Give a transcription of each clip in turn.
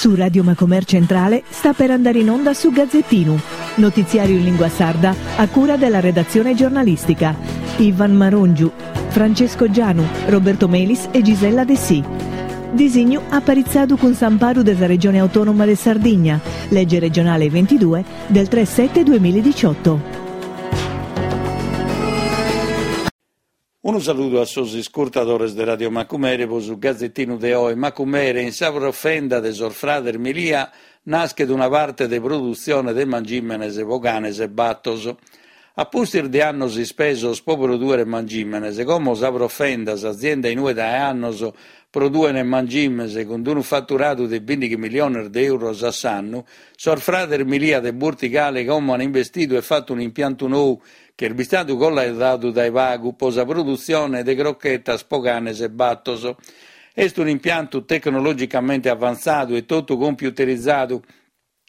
Su Radio Macomer Centrale sta per andare in onda su Gazzettinu, notiziario in lingua sarda a cura della redazione giornalistica. Ivan Marongiu, Francesco Gianu, Roberto Melis e Gisella Dessì. Disignu aparitzadu cun s'amparu de sa Regione Autonoma de Sardigna, lege regionale 22 del 3 7 2018. Unu saludu a sos iscurtadores de Radio Macumere pro su gazetinu de oe. Macumere, in sa profenda de sos frades Milia naschet una parte de produtzione de mangìmenes pro canes e batos. A pustis de annos ispesos pro prodùere mangìmenes, como sa profenda, s'azienda in ue dae annos produen mangimes cun unu faturadu de bìndighi miliones de euros a s'annu, sos frades Milia de Burtigale como an investidu e fatu un'impiantu nou chi est bistadu collaudadu dae pagu pro sa produtzione de crochetas pro canes e batos. Est un'impiantu tecnologicamente avantzadu e totu computerizadu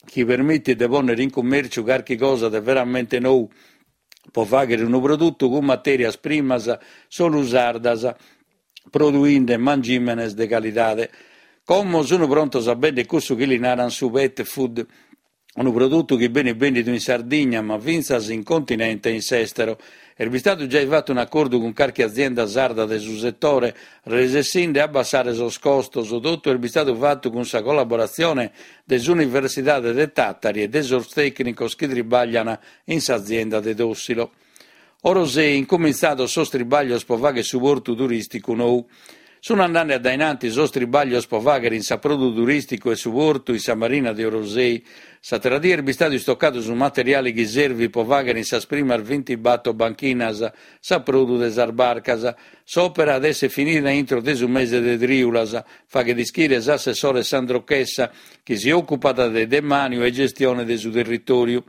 chi permitit de pònnere in cummèrciu carchi cosa de veramente nou pro fàghere unu produtu cun matèrias primas solu sardas, produinde mangìmenes de calidade. Como sunt prontos a bèndere cussu chi li narant su pet food, unu produtu chi benit bèndidu in Sardigna ma fintzas in continente e in s'èstero. Est bistadu giai fatu un'acordu cun carchi azienda sarda de su setore, resessinde a abbassare sos costos. Totu est bistadu fatu cun sa collaboratzione de s'Universidade de Tàtari e de sos tècnicos chi tribaglian in s'azienda de Tòssilo. Orosei, incumintzados sos tribàglios pro fàghere su portu turìsticu nou. Sunt andende a dae in antis sos tribàglios pro fàghere in s'aprodu turìsticu 'e su portu in sa marina de Orosei. S'àtera die est bistadu istocadu su materiale chi servit pro fàghere in sas primas bintibator banchinas s'aprodu de sas barcas. S'òpera at èssere finida intro de su mese de trìulas, faghet ischire s'assessore Sandro Chessa, chi si òcupat de demàniu e gestione de su territòriu.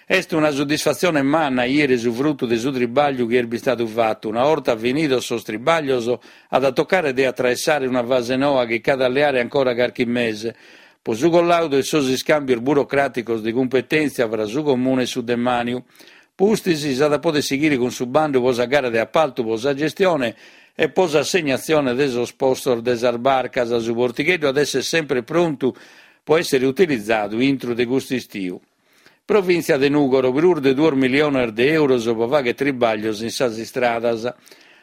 Est una soddisfatzione manna 'iere su frutu de su tribàgliu chi est bistadu fatu. Una 'orta finidos sos tribàglios at a tocare de atraessare una fase noa chi ch'at a leare ancora carchi mese, pro su collàudu e sos iscàmbios burocràticos de cumpetèntzia fra su Comune e su Demàniu. Pustis s'at a poder sighire cun su bandu pro sa gara de apaltu pro sa gestione e pro s'assegnatzione de sos postos de sas barcas. Su portigheddu at èssere semper prontu pro èssere utilizadu intro de custu istiu. Provìntzia de Nùgoro, prus de duos miliones de euros pro fàghere tribàglios in sas istradas.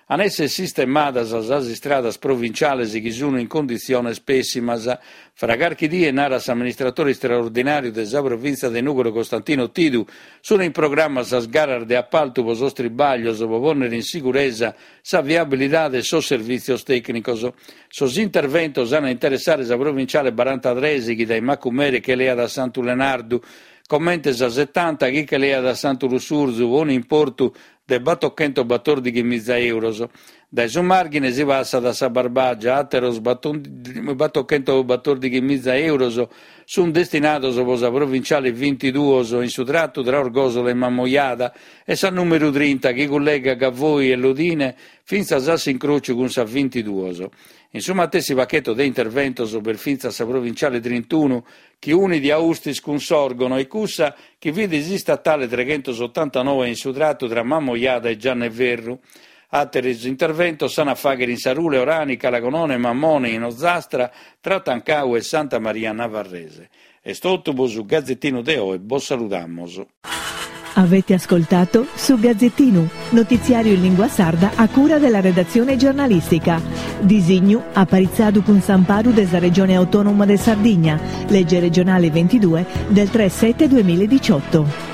An èssere sistemadas sas istradas provinciales chi sun in conditziones pèssimas. Fra carchi die, narat s'amministratore istraordinàriu de sa provìntzia de Nùgoro Costantino Tidu, sun in programma sas garas de apaltu pro sos tribàglios pro pònnere in siguresa sa viabilidade e sos servìtzios tècnicos. Sos interventos an a interessare sa provinciale barantatres chi dae Macumere che leat a Santu Lenardu, comente sa setanta chi che leat a Santu Lussurzu pro un'importu de batochentobatòrdighi-miza euros. Dae su Màrghine si passat a sa Barbàgia, àteros batochentobatòrdighi-miza euros sunt destinados pro sa provinciale bintiduos in su tratu tra Orgòsolo e Mamoiada e sa nùmeru trinta chi cullegat Gavoi e Lodine fintzas a s'incròciu cun sa bintiduos. In su matessi pacheto de interventos b'est fintzas sa provinciale trintunu chi unit Austis cun Sòrgono e cussa chi fit s'istatale treghentosotantanoe in su tratu tra Mamoiada e Gianneferru. Àteros interventos s'an a fàghere in Sarule, Orani, Calagonone, Mamone, in Ozastra, tra Tancau e Santa Maria Navarrese. Est totu pro su Gazetinu de oe, bos saludamos. Avete ascoltato Su Gazzettinu, notiziario in lingua sarda a cura della redazione giornalistica. Disignu aparitzadu cun s'amparu de sa Regione Autonoma de Sardigna, legge regionale 22 del 3 7 2018.